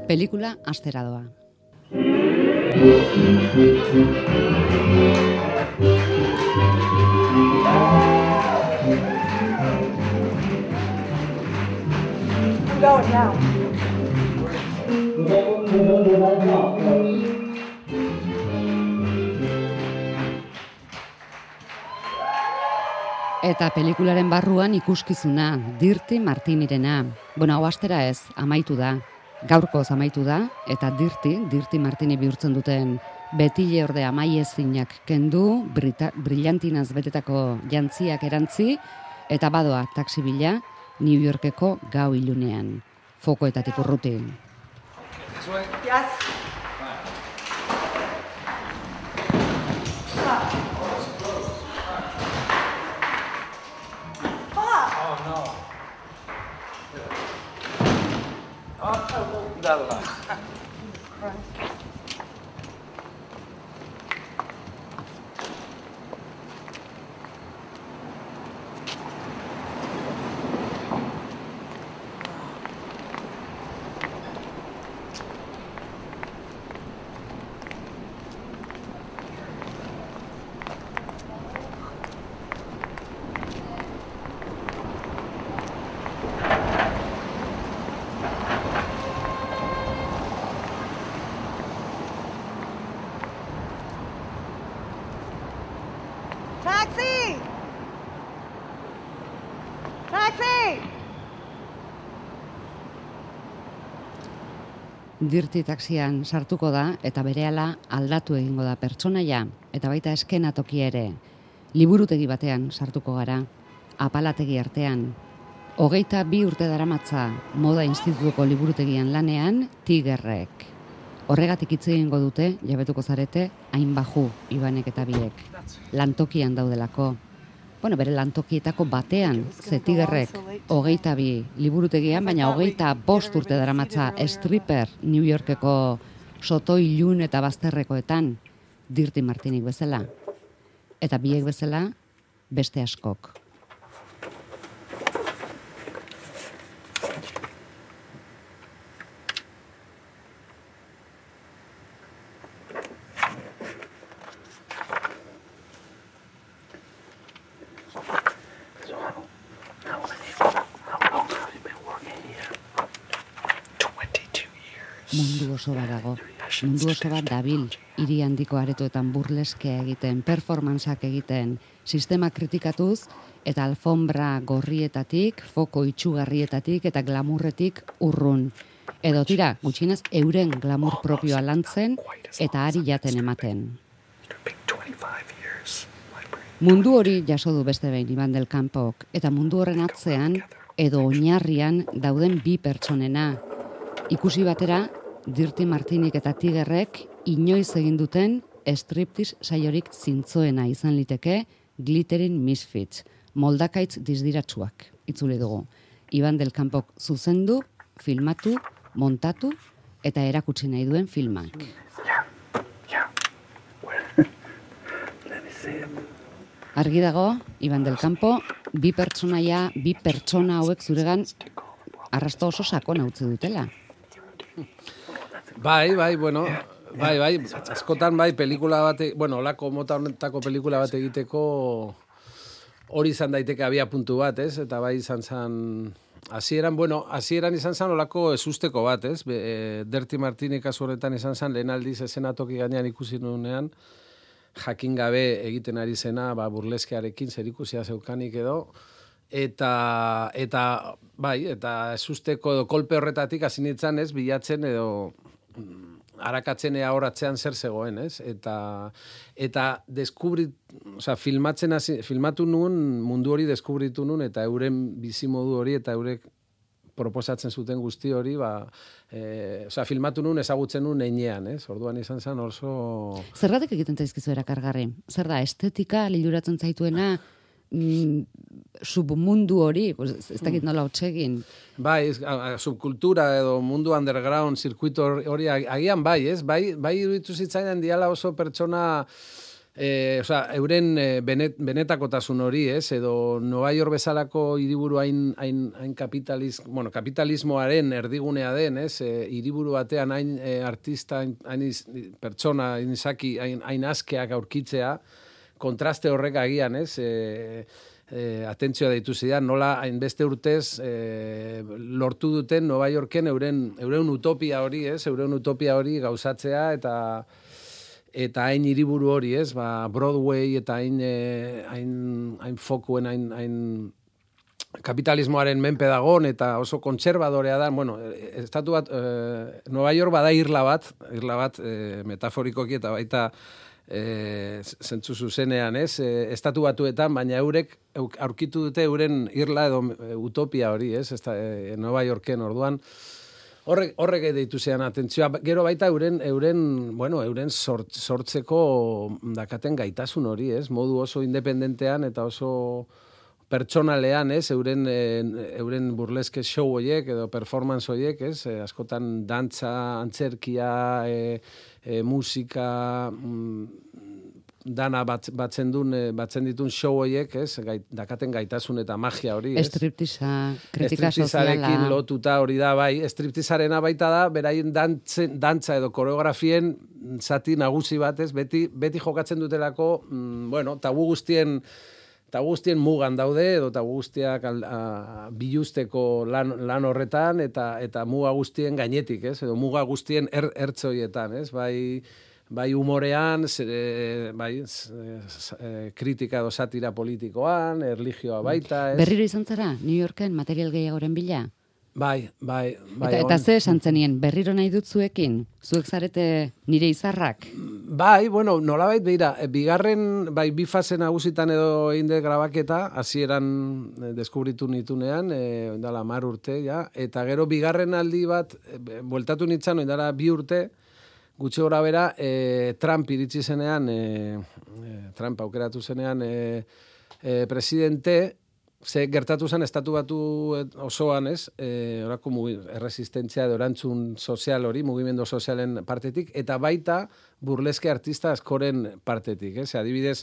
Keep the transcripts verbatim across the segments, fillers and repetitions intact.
Pelikula astera doa. I'm going now. Eta pelikularen barruan ikuskizuna, Dirty Martinirena. Bueno, hau astera ez, amaitu da. Gaurkoz amaitu da, eta Dirty, Dirty Martini bihurtzen duten betile orde amaiezinak kendu, brita, brillantinaz betetako jantziak erantzi, eta badoa taxi bila New Yorkeko gau ilunean. Fokoetatik urruti. Yes. Dalla. Taxi! Taxi! Dirty taxian sartuko da eta berehala aldatu egingo da pertsonaia eta baita eskenatokia ere. Liburutegi batean sartuko gara, apalategi artean. Hogeita bi urte daramatza moda institutuko liburutegian lanean Tigerrek. Horregatik hitz egingo dute, jabetuko zarete, hain baju Ibanek eta biek. Lantokian daudelako. Bueno, bere lantokietako batean, ze Tigerrek hogeita bi liburutegian, baina hogeita bost urte daramatza stripper New Yorkeko soto ilun eta bazterrekoetan, Dirty Martinik bezala. Eta biek bezala, beste askok. Mundu oso bat dago, mundu oso bat dabil, hiri handiko aretoetan burleskea egiten, performanceak egiten, sistema kritikatuz eta alfombra gorrietatik, foko itxugarrietatik eta glamurretik urrun. Edo tira, gutxienez euren glamur propioa lantzen eta ari jaten ematen. Mundu hori jaso du beste behin Iban del Campok, eta mundu horren atzean edo oinarrian dauden bi pertsonena. Ikusi batera, Dirty Martinik eta Tigerrek inoiz egin duten striptease saiorik zintzoena izan liteke Glittering Misfits, moldakaitz dizdiratsuak, itzuli dugu. Iban del Campok zuzendu, filmatu, montatu eta erakutsi nahi duen filmak. Argi dago, Iban del Campo, bi pertsonaia, bi pertsona hauek zuregan arrasto oso sakona utzi dutela. Bai, bai, bueno, bai, bai, askotan bai pelikula bate, bueno, olako mota honetako pelikula bat egiteko hori izan daiteke abia puntu bat, ez? Eta bai izan zan, hasieran, bueno, hasieran izan zan olako ezusteko bat, ez? Be, e, Dirty Martini kasu honetan izan zan, lehen aldiz eszenatoki gainean ikusi nuenean, jakin gabe egiten ari zena, ba, burleskearekin zerikusia zeukanik edo, eta, eta, bai, eta ezusteko edo kolpe horretatik hasi nintzen, ez? Bilatzen edo arakatzen ea horatzean zer zegoen, ez? Eta eta deskubrit, o sea, filmatzen hasi, filmatu nuen mundu hori deskubritu nuen eta euren bizimodu hori eta eurek proposatzen zuten guzti hori, ba, e, o sea, filmatu nuen ezagutzen nuen heinean, ez? Orduan izan zen oso... Zergatik egiten zaizkizu erakargarri? Zer da, estetika liluratzen zaituena, mm, submundu hori, pues, ez dakit nola hotsegin. Bai, subkultura edo mundu underground, zirkuito hori agian bai, ez? Bai, bai iruditu zitzaidan diala oso pertsona E, osea, euren benet, benetakotasun hori, ez? Edo Nova York bezalako hiriburu hain, hain, hain kapitaliz, bueno, kapitalismoaren erdigunea den, ez? E, hiriburu batean hain e, artista, hain, hain iz, pertsona, hain izaki, hain, hain askeak aurkitzea, kontraste horrek agian, ez? E, e, atentzioa deitu zidan, nola hainbeste urtez e, lortu duten Nova Yorken euren, euren utopia hori, ez? Euren utopia hori gauzatzea eta eta hain hiriburu hori, ez? Ba, Broadway eta hain, eh, hain, hain fokuen, hain, hain kapitalismoaren menpe dagon eta oso kontserbadorea da. Bueno, estatu bat, eh, Nova York bada irla bat, irla bat eh, metaforikoki eta baita eh, zentzu zuzenean, ez? Eh, estatu batuetan, baina eurek aurkitu dute euren irla edo utopia hori, ez? Esta, eh, Nova Yorken orduan. Horrek, horrek deitu zean atentzioa, gero baita euren, euren, bueno, euren sort, sortzeko dakaten gaitasun hori, ez? Modu oso independentean eta oso pertsonalean, ez? Euren, euren burleske show horiek edo performance horiek, ez? E, askotan dantza, antzerkia, e, e, musika, mm, dana bat, batzen, duen, batzen ditun show horiek, ez? Gait, dakaten gaitasun eta magia hori, ez? Striptiza, kritika soziala. Striptizarekin lotuta hori da, bai. Striptizarena baita da, beraien dantzen, dantza edo koreografien zati nagusi bat, ez? Beti, beti jokatzen dutelako, mm, bueno, tabu guztien tabu guztien mugan daude, edo tabu guztiak al, a, biluzteko lan, lan horretan, eta eta muga guztien gainetik, ez? Edo muga guztien er, ertzoietan, ez? Bai, bai humorean, zere, bai, e, kritika edo satira politikoan, erlijioa baita, ez? Berriro izan zara, New Yorken material gehiagoren bila? Bai, bai, bai. Eta, eta ze esan zenien, berriro nahi dut zuekin? Zuek zarete nire izarrak? Bai, bueno, nolabait beira, bigarren, bai, bi fase nagusitan edo einde grabaketa, hasieran deskubritu nitunean, e, dala mar urte, ja, eta gero bigarren aldi bat, e, bueltatu nintzen, dala bi urte, gutxi gora bera, e, Trump iritsi zenean, e, e, Trump aukeratu zenean, e, e, presidente, ze gertatu zen estatu batu osoan, ez, e, orako erresistentzia edo erantzun sozial hori, mugimendu sozialen partetik, eta baita burleske artista askoren partetik, ez, adibidez,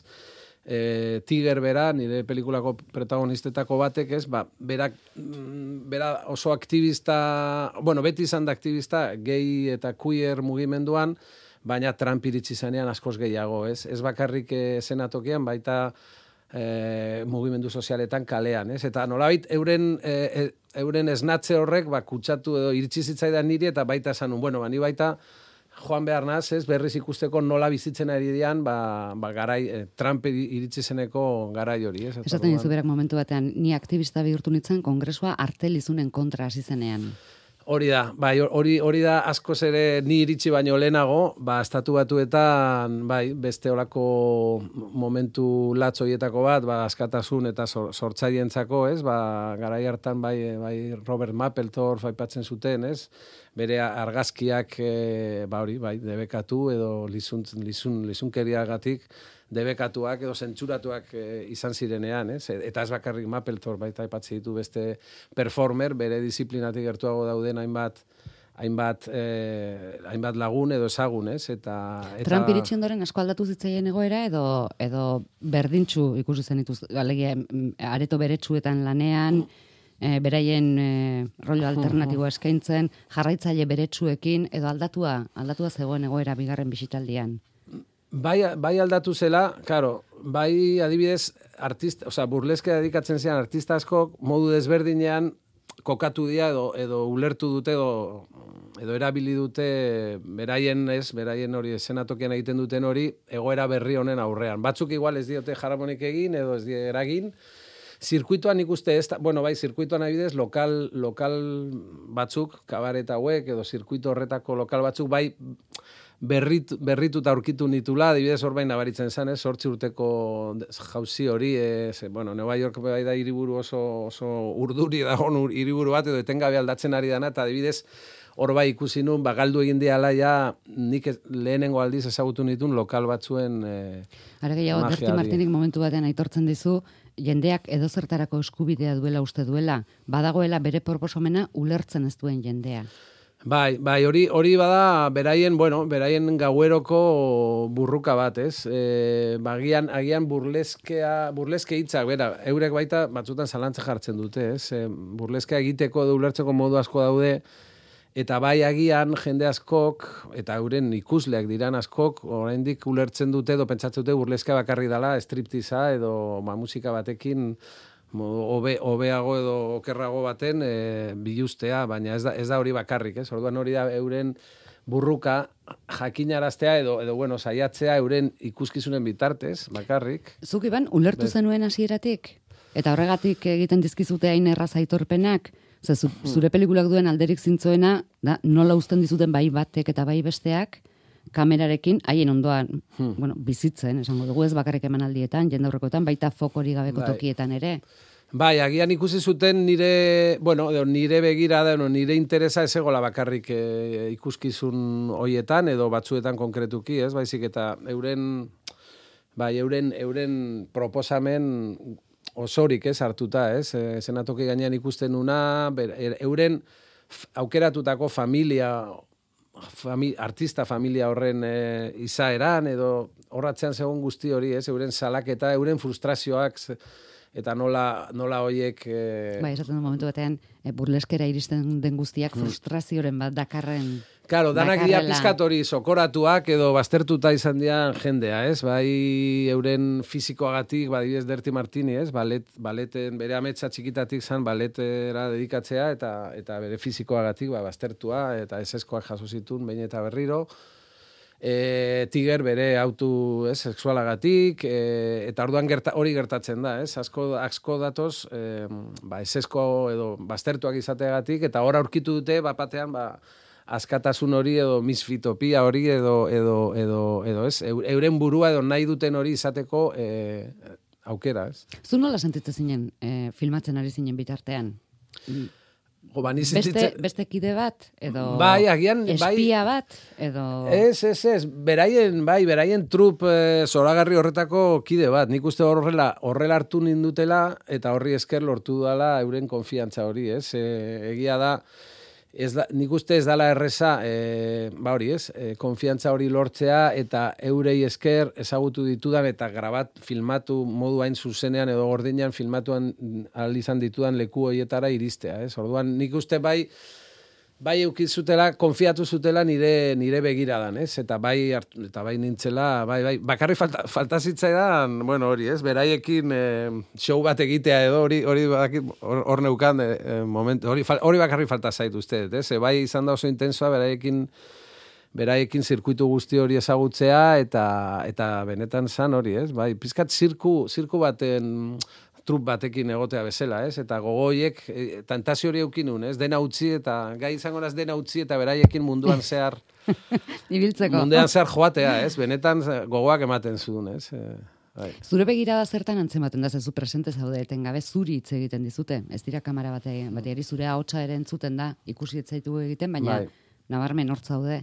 e, Tiger bera, nire pelikulako protagonistetako batek, ez, ba, berak, bera oso aktivista, bueno, beti izan da aktivista, gay eta queer mugimenduan, baina Trump iritsi zenean askoz gehiago, ez, ez bakarrik e, senatokian, baita E, mugimendu sozialetan kalean, ez? Eta nolabait euren e, euren esnatze horrek ba kutsatu edo iritsi zitzaidan niri eta baita esanun, bueno, ba ni baita joan behar naz, ez? Berriz ikusteko nola bizitzen ari dian, ba, ba garai e, Trump iritsi zeneko garai hori, ez? Esaten dizu berak momentu batean, ni aktivista bihurtu nintzen kongresua artelizunen kontra hasi zenean. Hori da, bai, hori hori da askoz ere ni iritsi baino lehenago, ba estatu batuetan, bai, beste olako momentu latz horietako bat, ba askatasun eta sortzaientzako, ez? Ba garai hartan bai, bai Robert Mapplethorpe aipatzen zuten, ez? Bere argazkiak e, ba hori, bai, debekatu edo lizun lizun lizunkeriagatik debekatuak edo zentzuratuak e, izan zirenean, ez? Eta ez bakarrik Mapplethorpe baita aipatzen ditu beste performer, bere disiplinatik gertuago dauden hainbat hainbat eh, hainbat lagun edo ezagun, ez? Eta, eta Trump iritsi ondoren asko aldatu zitzaien egoera edo edo berdintsu ikusi zenituz, alegia areto beretsuetan lanean, e, beraien e, rollo alternatiboa eskaintzen, jarraitzaile beretsuekin edo aldatua, aldatua zegoen egoera bigarren bisitaldian. Bai, bai aldatu zela, claro, bai adibidez artista, o sea, burleske dedikatzen zian artista askok modu desberdinean kokatu dira edo edo ulertu dute edo edo erabili dute beraien, ez, beraien hori eszenatokian egiten duten hori egoera berri honen aurrean. Batzuk igual ez diote jaramonik egin edo ez die eragin. Zirkuituan ikuste ez, bueno, bai, zirkuituan adibidez lokal lokal batzuk, kabaret hauek edo zirkuito horretako lokal batzuk bai berrit, berrituta aurkitu nitula, adibidez hor bain nabaritzen zen, ez, zortzi urteko jauzi hori, ez, bueno, Nova York bai da hiriburu oso, oso urduri dagoen hiriburu bat, edo etengabe aldatzen ari dana, eta adibidez hor bai ikusi nun, ba, galdu egin diala ja, nik lehenengo aldiz ezagutu nitun lokal batzuen e, Ara gehiago, Berti Martinik momentu batean aitortzen dizu, jendeak edozertarako eskubidea duela uste duela, badagoela bere proposomena ulertzen ez duen jendea. Bai, bai, hori hori bada beraien, bueno, beraien gaueroko burruka bat, ez? E, bagian agian burleskea, burleske hitzak, bera, eurek baita batzutan zalantza jartzen dute, ez? E, burleskea egiteko edo ulertzeko modu asko daude, eta bai agian jende askok, eta euren ikusleak diran askok, oraindik ulertzen dute edo pentsatzen dute burleska bakarri dela, striptiza edo ba, musika batekin Obe, obeago edo okerrago baten e, biluztea, baina ez da, ez da hori bakarrik, ez? Orduan hori da euren burruka jakinaraztea edo, edo bueno, saiatzea euren ikuskizunen bitartez, bakarrik. Zuk iban, ulertu Bet. zenuen hasieratik? Eta horregatik egiten dizkizute hain erraz aitorpenak? Ze, zu, zure pelikulak duen alderik zintzoena, da, nola uzten dizuten bai batek eta bai besteak, kamerarekin, haien ondoan, hmm. bueno, bizitzen, esango dugu ez bakarrik emanaldietan, jendaurrekoetan, baita fokori gabeko bai. tokietan ere. Bai, agian ikusi zuten nire, bueno, nire begirada, nire interesa ez egola bakarrik e, ikuskizun hoietan, edo batzuetan konkretuki, ez, baizik eta euren, bai, euren, euren proposamen osorik, ez, hartuta, ez, e, zenatoki gainean ikusten una, ber, euren aukeratutako familia, Fami, artista familia horren e, izaeran, edo horratzean zegoen guzti hori, ez, euren salaketa, euren frustrazioak, eta nola, nola hoiek... E... Bai, esaten du momentu batean, e, burleskera iristen den guztiak frustrazioren bat dakarren... Claro, danak dira pizkat hori sokoratuak edo baztertuta izan dian jendea, ez? Bai, euren fizikoagatik, badibidez Derti Martini, ez? Balet, baleten, bere ametsa txikitatik zan baletera dedikatzea, eta eta bere fizikoagatik ba, baztertua, eta eseskoak jaso zitun, behin eta berriro. E, Tiger bere autu ez, sexualagatik, e, eta orduan gerta, hori gertatzen da, ez? Asko, asko datoz, e, ba, esesko edo baztertuak izateagatik, eta hor aurkitu dute, bapatean, ba, askatasun hori edo misfitopia hori edo edo edo edo ez euren burua edo nahi duten hori izateko e, aukera, ez? Zu nola sentitzen zinen e, filmatzen ari zinen bitartean? Jo, ba, beste, beste kide bat edo bai, agian, espia bai, bat edo Ez, ez, ez, beraien, bai, beraien trup e, zoragarri horretako kide bat. Nik uste horrela, horrela hartu nindutela eta horri esker lortu dala euren konfiantza hori, ez? E, egia da Ez da, nik uste ez dala erreza, e, ba hori ez, e, konfiantza hori lortzea eta eurei esker ezagutu ditudan eta grabat filmatu modu hain zuzenean edo gordinean filmatuan ahal izan ditudan leku horietara iristea, ez? Orduan nik uste bai, bai eukizutela, konfiatu zutela nire nire begiradan, ez? Eta bai eta bai nintzela, bai bai, bakarri falta falta zitzaidan, bueno, hori, ez? Beraiekin e, show bat egitea edo hori hori hor, hor neukan e, moment, hori hori bakarri falta zait uste, ez? E, bai izan da oso intensoa beraiekin beraiekin zirkuitu guzti hori ezagutzea eta eta benetan zan hori, ez? Bai, pizkat zirku zirku baten trup batekin egotea bezala, ez? Eta gogoiek, e, tentazio hori eukinun, ez? Dena utzi eta gai izango naz dena utzi eta beraiekin munduan zehar ibiltzeko. Munduan zehar joatea, ez? Benetan gogoak ematen zuen, ez? E, bai. Zure begirada zertan antzematen da, zezu presente zaude etengabe zuri hitz egiten dizute. Ez dira kamera bate, bateari zure ahotsa ere entzuten da, ikusi etzaitu egiten, baina bai. Nabarmen hor zaude.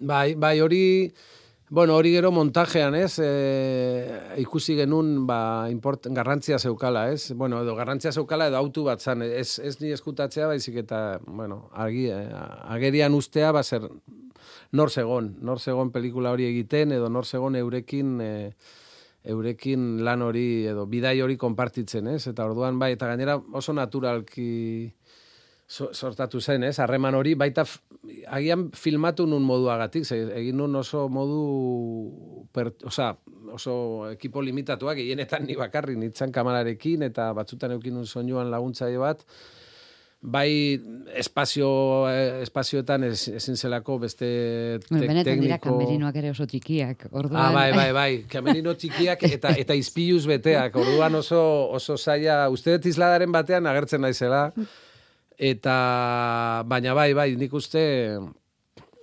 Bai, bai, hori... Bueno, hori gero montajean, ez, e, ikusi genuen, ba, import, garrantzia zeukala, ez, bueno, edo garrantzia zeukala edo autu bat zan, ez, ez ni eskutatzea, baizik eta, bueno, agi, agerian ustea, ba, zer, nor zegon, nor zegon pelikula hori egiten, edo nor zegon eurekin, e, eurekin lan hori, edo bidai hori konpartitzen, ez, eta orduan, bai, eta gainera oso naturalki sortatu zen, ez? Harreman hori baita agian filmatu nun moduagatik, ze, egin nun oso modu per, oza, oso ekipo limitatuak, gehienetan ni bakarrik nitzan kamerarekin eta batzutan eukin nun soinuan laguntzaile bat, bai espazio espazioetan ez, ezin zelako beste te, bueno, benetan tekniko... dira kamerinoak ere oso txikiak, orduan. Ah, bai, bai, bai, kamerino txikiak eta eta izpiluz beteak, orduan oso oso zaila, uste dut isladaren batean agertzen naizela. Eta, baina bai, bai, nik uste,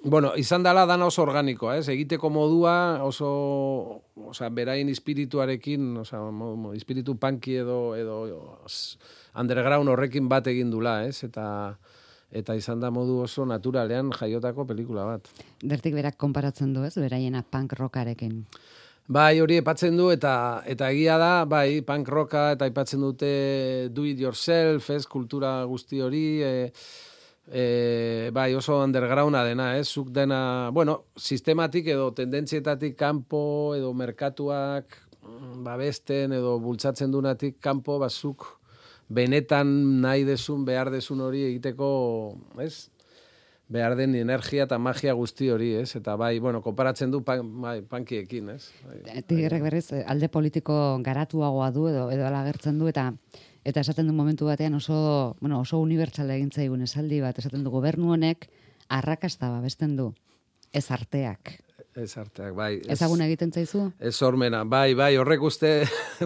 bueno, izan dela dana oso organikoa, ez? Egiteko modua oso, oza, berain espirituarekin, oza, espiritu punky edo, edo underground horrekin bat egin dula, ez? Eta, eta izan da modu oso naturalean jaiotako pelikula bat. Dertik berak konparatzen du, ez? Beraiena punk rockarekin. Bai, hori aipatzen du, eta eta egia da, bai, punk rocka, eta aipatzen dute do it yourself, ez, kultura guzti hori, e, E, bai, oso undergrounda dena, ez? Zuk dena, bueno, sistematik edo tendentzietatik kanpo edo merkatuak babesten edo bultzatzen dunatik kanpo, bazuk benetan nahi desun, behar desun hori egiteko, ez? Behar den energia eta magia guzti hori, ez? Eta bai, bueno, konparatzen du pan, bai, pankiekin, ez? Bai, Tigerrek berriz, alde politiko garatuagoa du edo edo ala agertzen du, eta eta esaten du momentu batean oso, bueno, oso unibertsala egin zaigun esaldi bat, esaten du gobernu honek arrakasta babesten du, ez arteak. Ez arteak, bai. Ez, Ezaguna egiten zaizu? Ez sormena, bai, bai, horrek uste,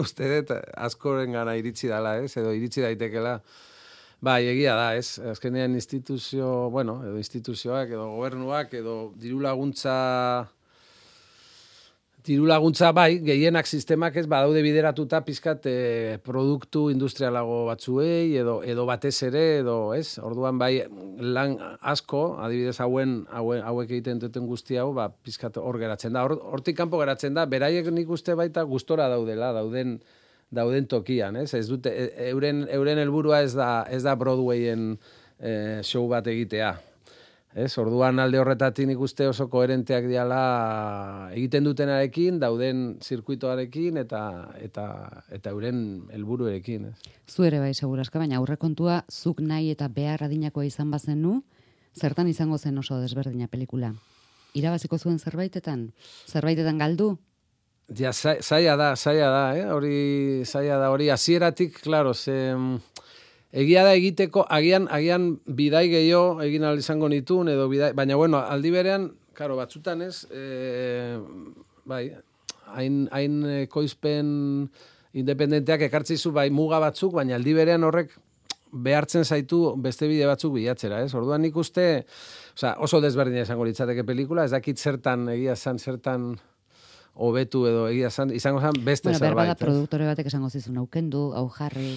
uste dut askoren gana iritsi dala, ez? Edo iritsi daitekela. Bai, egia da, ez? Azkenean instituzio, bueno, edo instituzioak, edo gobernuak, edo diru laguntza... Diru laguntza bai, gehienak sistemak ez badaude bideratuta pizkat e, produktu industrialago batzuei edo edo batez ere edo, ez? Orduan bai lan asko, adibidez hauen hauen hauek egiten duten guzti hau, ba pizkat hor geratzen da. Hortik kanpo geratzen da, beraiek nik uste baita gustora daudela, dauden dauden tokian, ez? Ez dute euren euren helburua ez da ez da Broadwayen e, show bat egitea. Ez, orduan alde horretatik nik uste oso koherenteak diala egiten dutenarekin, dauden zirkuitoarekin eta eta eta euren helburuekin, ez. Zu ere bai segurazka, baina aurrekontua zuk nahi eta behar adinakoa izan bazenu, zertan izango zen oso desberdina pelikula? Irabaziko zuen zerbaitetan? Zerbaitetan galdu? Ja, zaila da, zaila da, eh? Hori zaila da, hori hasieratik, claro, ze egia da egiteko, agian, agian bidai gehiago egin ahal izango nituen, edo bidai, baina bueno, aldi berean, karo, batzutan ez, e, bai, hain, hain koizpen independenteak ekartzizu bai muga batzuk, baina aldi berean horrek behartzen zaitu beste bide batzuk bilatzera, ez? Orduan nik uste, osea, oso desberdina izango litzateke pelikula, ez dakit zertan, egia zan, zertan hobetu edo egia zan, izango zan beste bueno, zerbait. Bueno, berbada produktore batek esango zizun aukendu, hau jarri...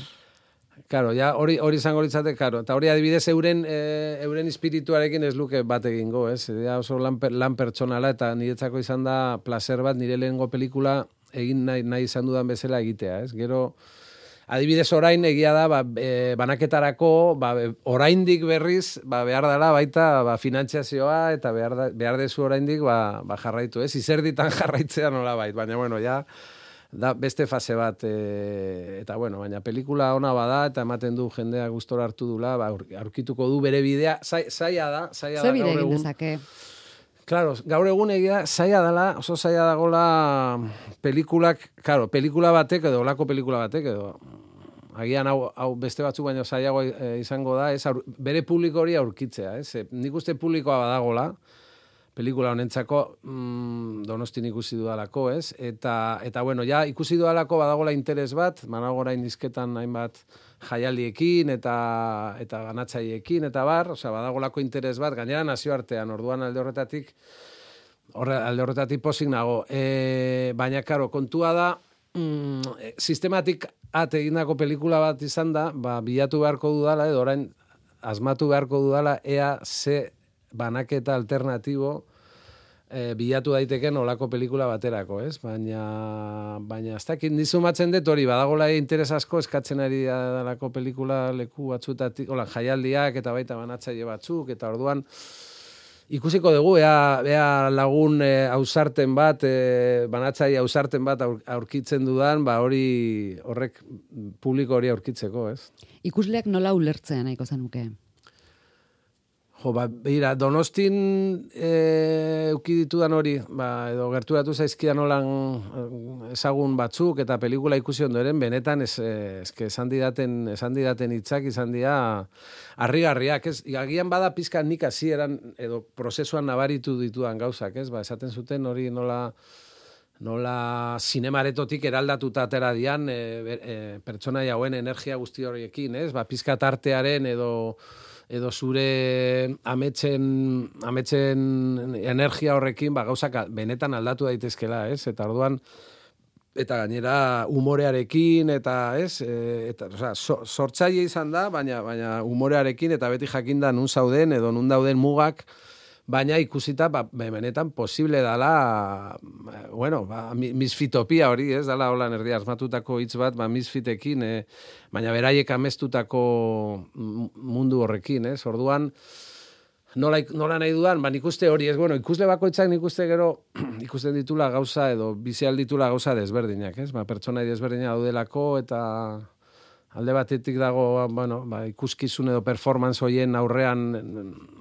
Claro, ja hori hori izango litzate, claro. Eta hori adibidez euren e, euren espirituarekin ez luke bat egingo, ez? Ja oso lan, lan pertsonala eta niretzako izan da placer bat nire lehengo pelikula egin nahi, nahi izan dudan bezala egitea, ez? Gero adibidez orain egia da ba, e, banaketarako ba, oraindik berriz ba, behar dela baita ba, finantziazioa eta behar, da, behar dezu oraindik ba, ba, jarraitu, ez? Izerditan jarraitzea nola bait, baina bueno, ja da beste fase bat e, eta bueno, baina pelikula ona bada eta ematen du jendea gustora hartu dula, ba, aurkituko du bere bidea, zaila da, zaila da gaur egun. Dezake? Claro, gaur egun egia zaila dela, oso zaila dagola pelikulak, claro, pelikula batek edo olako pelikula batek edo agian hau, hau beste batzuk baino zailago e, izango da, ez, aur, bere publiko hori aurkitzea, ez? Nik uste publikoa badagola, pelikula honentzako mm, Donostin ikusi dudalako, ez? Eta, eta bueno, ja ikusi dudalako badagola interes bat, manago orain dizketan hainbat jaialdiekin eta eta banatzaiekin eta bar, osea badagolako interes bat, gainera nazioartean, orduan alde horretatik horre, alde horretatik pozik nago. E, baina, karo, kontua da, mm, sistematik at egindako pelikula bat izan da, ba, bilatu beharko dudala, edo orain asmatu beharko dudala, ea ze banaketa alternatibo e, bilatu daiteken olako pelikula baterako, ez? Baina, baina ez dakit nizumatzen dut hori, badagola interes asko eskatzen ari dalako pelikula leku batzutatik, hola, jaialdiak eta baita banatzaile batzuk, eta orduan ikusiko dugu, ea, ea lagun e, ausarten bat, e, banatzaile ausarten bat aur, aurkitzen dudan, ba hori horrek publiko hori aurkitzeko, ez? Ikusleak nola ulertzea nahiko zenuke? Jo, ba, beira, Donostin e, euki ditudan hori, ba, edo gerturatu zaizkidan holan ezagun batzuk eta pelikula ikusi ondoren, benetan ez, ez, esan didaten, esan didaten hitzak izan dira harrigarriak, ez? Agian bada pizka nik hasieran edo prozesuan nabaritu ditudan gauzak, ez? Ba, esaten zuten hori nola nola zinemaretotik eraldatuta atera dian e, e, pertsonaia hauen energia guzti horiekin, ez? Ba, pizka tartearen edo edo zure ametsen, ametsen energia horrekin ba, gauzak benetan aldatu daitezkela, ez? Eta orduan, eta gainera umorearekin, eta ez? E, eta, osea, so, sortzaile izan da, baina, baina umorearekin, eta beti jakinda nun zauden, edo nun dauden mugak, baina ikusita, ba, benetan posible dala, bueno, ba, misfitopia hori, ez? Dala holan erdia asmatutako hitz bat, ba, misfitekin, e, baina beraiek amestutako mundu horrekin, ez? Orduan, nola, nola nahi dudan, ba, nik uste hori, ez, bueno, ikusle bakoitzak nik uste gero, ikusten ditula gauza, edo bizial ditula gauza desberdinak, ez, ba, pertsonai desberdinak daudelako, eta alde batetik dago, bueno, ba, ikuskizun edo performance hoien aurrean,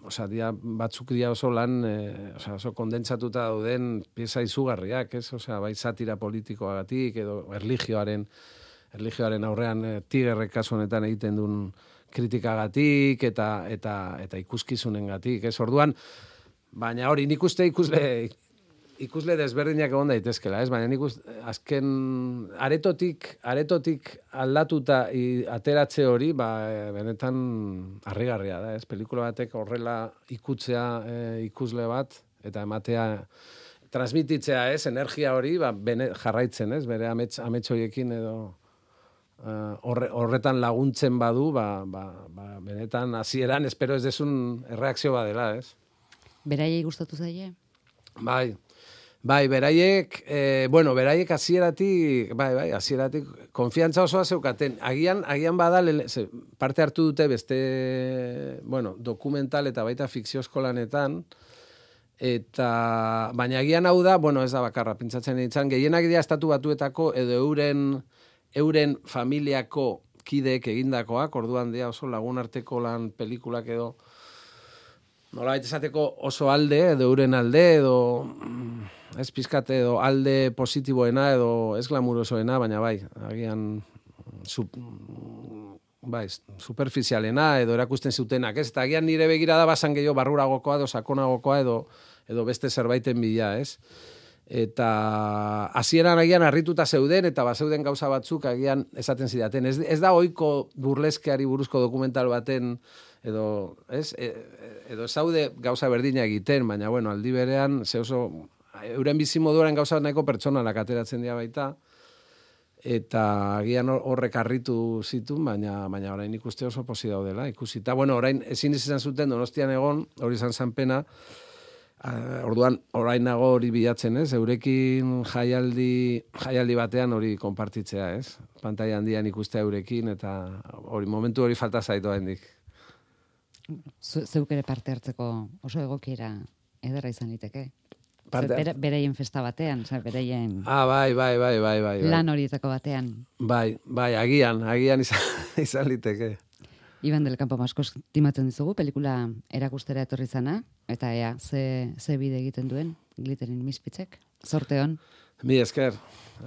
osea, dia, batzuk dia oso lan, e, osea, oso kondentsatuta dauden pieza izugarriak, ez, osea, bai satira politikoagatik, edo erlijioaren, erlijioaren aurrean e, Tigerrek kasu honetan egiten duen kritikagatik eta eta eta ikuskizunengatik, ez? Orduan, baina hori nik uste ikusle ikusle desberdinak egon daitezkela, ez? Baina nik uste, azken aretotik aretotik aldatuta i, ateratze hori, ba, benetan harrigarria da, ez? Pelikula batek horrela ikutzea e, ikusle bat eta ematea transmititzea, ez? Energia hori, ba, bene, jarraitzen, ez? Bere amets amets horiekin edo Uh, horre, horretan laguntzen badu, ba, ba, ba, benetan hasieran espero ez desun erreakzio badela, ez? Beraiei gustatu zaie? Bai, bai, beraiek, eh, bueno, beraiek hasieratik, bai, bai, hasieratik konfiantza osoa zeukaten. Agian, agian bada, ze, parte hartu dute beste, bueno, dokumental eta baita fikziozko lanetan, eta, baina agian hau da, bueno, ez da bakarra, pentsatzen ditzen, gehienak dira estatu batuetako edo euren euren familiako kideek egindakoak, orduan dira oso lagunarteko lan pelikulak edo nola baita esateko oso alde, edo euren alde, edo ez pizkate edo alde positiboena edo ez glamurosoena, baina bai, agian sub, bai, superficialena edo erakusten zutenak, ez? Eta agian nire begirada basan gehiago barruragokoa edo sakonagokoa edo, edo beste zerbaiten bila, ez? Eta hasieran agian harrituta zeuden eta bazeuden gauza batzuk agian esaten zidaten. Ez, ez da ohiko burleskeari buruzko dokumental baten edo, ez? E, edo zaude gauza berdina egiten, baina bueno, aldi berean ze oso euren bizimoduaren gauza nahiko pertsonalak ateratzen dira baita. Eta agian horrek harritu zituen, baina baina orain ikuste oso posi daudela, ikusita. Bueno, orain ezin izan zuten Donostian egon, hori izan zen pena. Uh, orduan, orain nago hori bilatzen, ez? Eurekin jaialdi, jaialdi batean hori konpartitzea, ez? Pantaila handian ikustea eurekin, eta hori momentu hori falta zaitu hendik. Zeuk ere parte hartzeko oso egokiera ederra izan liteke. Parte... Bere, bereien festa batean, oza, bereien... Ah, bai, bai, bai, bai, bai. Lan horietako batean. Bai, bai, agian, agian izan, izan liteke. Iban del Campo asko estimatzen dizugu, pelikula erakustera etorri zana, eta ea, ze, ze bide egiten duen, Glitterin Misfitsek. Zorte hon. Mi esker.